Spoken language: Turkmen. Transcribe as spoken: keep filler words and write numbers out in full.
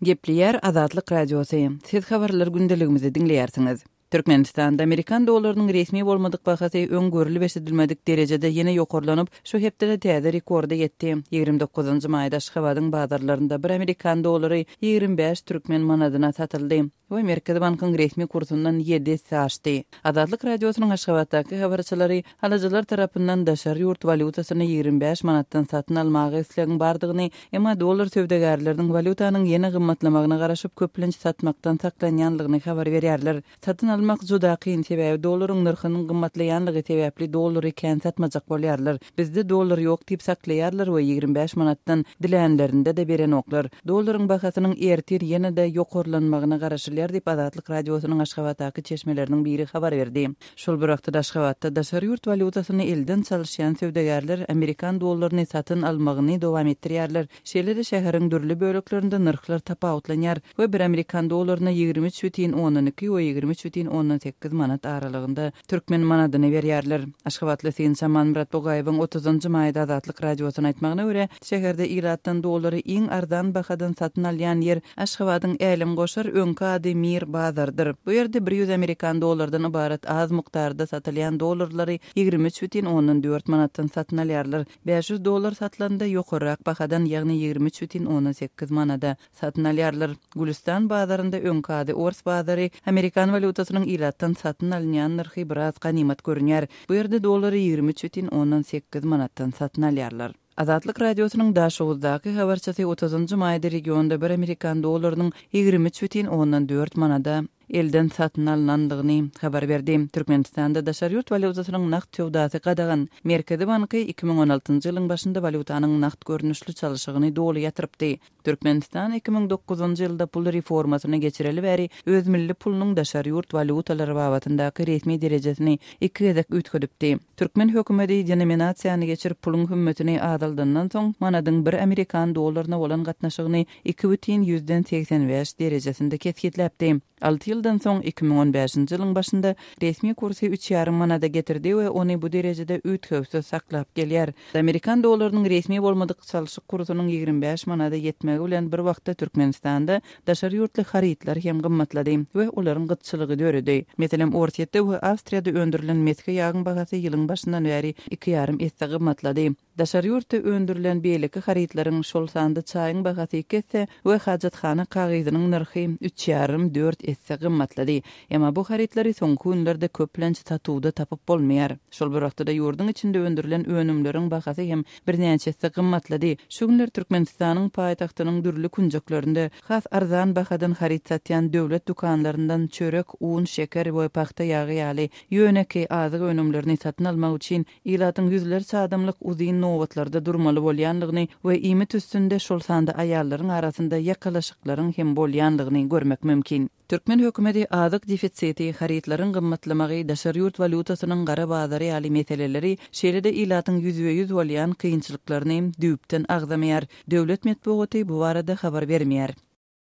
Gepleýär Azatlyk Radiosy. Siz habarlar gündeligimizi diňleýärsiňiz. Türkmenistanda Amerikan dollarynyň resmi bolmadyk bahasy öň görülip eşidilmedik derejede ýene ýokarlanyp, şu hepdede täze rekorda ýetdi. ýigrimi dokuzynjy maýda Aşgabadyň bazarlarynda bir amerikan dollary ýigrimi bäş türkmen manadyna satyldy we Merkezi bankyň resmi kursundan ýedi esse aşdy. Azatlyk Radiosynyň Aşgabatdaky habarçylary alyjylar tarapyndan daşary ýurt walýutasyny ýigrimi bäş manatdan satyn almaga islegiň bardygyny, emma dollar söwdagärleriniň walýutanyň ýene gymmatlamagyna garaşyp köplenç satmakdan saklanýanlygyny habar berýärler. Satyn almak juda kyn, sebäbi dollaryň nyrhynyň gymmatlaýanlygy sebäpli dollary kän satmajak bolýarlar. Bizde dollar ýok diýip saklaýarlar we ýigrimi bäş manatdan dilänlerinde-de berenoklar. Dollaryň bahasynyň ertir ýene-de ýokarlanmagyna garaşylýar diýip Azatlyk Radiosynyň Aşgabatdaky çeşmeleriniň biri habar berdi. Şol bir wagtda Aşgabatda daşary ýurt walýutasyny elden çalyşýan söwdagärler amerikan dollaryny satyn almagyny dowam etdirýärler. Şeýle-de şäheriň dürli böleklerinde nyrhlar tapawutlanýar we bir amerikan dollaryna ýigrimi üç bütin ondan iki we ýigrimi üç bütin ondan sekiz manat aralygynda türkmen manadyny berýärler. Aşgabatly synçy Amanmyrat Bugaýewiň otuzynjy maýda Azatlyk Radiosyna aýtmagyna görä, şäherde ilatdan dollary iň arzan bahadan satyn alýan ýer Aşgabadyň Älemgoşar öňki ady Mir bazardyr. Bu ýerde bir ýüz amerikan dollardan ybarat az mukdarda satylýan dollarlary ýigrimi üç bütin ondan dört manatdan satyn alýarlar. bäş ýüz dollar satylanda ýokarrak bahadan, ýagny ýigrimi üç bütin ondan sekiz manada satyn alýarlar. Gülistan bazarynda öňki ady Ors bazary amerikan walýutasynyň ilatdan satyn alynýan nyrhy biraz ganymat görünýär. Bu ýerde dollary ýigrimi üç bütin ondan sekiz manatdan satyn alýarlar. Azatlyk Radiosynyň Daşoguzdaky habarçysy otuzynjy maýda regionda bir amerikan dollarynyň ýigrimi üç bütin ondan dört manada elden satyn alynandygyny habar berdi. Türkmenistanda daşary ýurt walýutasynyň nagt söwdasy gadagan. Merkezi banky iki müň on altynjy ýylyň başynda walýutanyň nagt görnüşli çalşygyny doly ýatyrypdy. Türkmenistan iki müň dokuzynjy ýylda pul reformasyny geçireli bäri öz milli pulunyň daşary ýurt walýutalary babatyndaky resmi derejesini iki gezek üýtgedipdi. Türkmen hökümeti denominasiýany geçirip puluň hümmetini azaldandan soň manadyň bir amerikan dollaryna bolan gatnaşygyny iki bütin ýüzden segsen bäş derejesinde kesgitläpdi. Alty ýyldan soň iki müň on bäşinji ýylyň başynda resmi kursy üç ýarym manada getirdi we ony bu derejede üýtgewsiz saklap gelýär. Amerikan dollarynyň resmi bolmadyk çalşyk kursunyň ýigrimi bäş manada ýetmegi bilen bir wagtda Türkmenistanda daşary ýurtly harytlar hem gymmatlady we olaryň gytçylygy döredi. Meselem, Orsýetde we Awstriýada öndürilen mesge ýagyň bahasy ýylyň başyndan bäri iki ýarym esse gymmatlady. Daşary ýurtda öndürilen beýleki harytlaryň, şol sanda çaýyň bahasy iki esse we hajathana kagyzynyň nyrhy üç ýarym dört esse gymmatlady. Emma bu harytlary soňky günlerde köplenç satuwda tapyp bolmaýar. Şol bir wagtda ýurduň içinde öndürilen önümleriň bahasy hem birnäçe esse gymmatlady. Şu günler Türkmenistanyň paýtagtynyň dürli künjeklerinde has arzan bahadan haryt satýan döwlet dükanlaryndan çörek, un, şeker we pagta ýagy ýaly ýönekeý azyk önümlerini satyn almak üçin ilatyň ýüzlerçe adamlyk uzyn nobatlarda durmaly bolýanlygyny we iýmit üstünde şol sanda aýallaryň arasynda ýakalaşyklaryň hem bolýanlygyny görmek mümkin. Türkmen hökümeti azyk defisiti, harytlaryň gymmatlamagy, daşary ýurt walýutasynyň gara bazary ýaly meseleleri, şeýle-de ilatyň ýüzbe-ýüz bolýan kynçylyklaryny düýpden agzamaýar. Döwlet metbugaty bu barada habar bermeýär.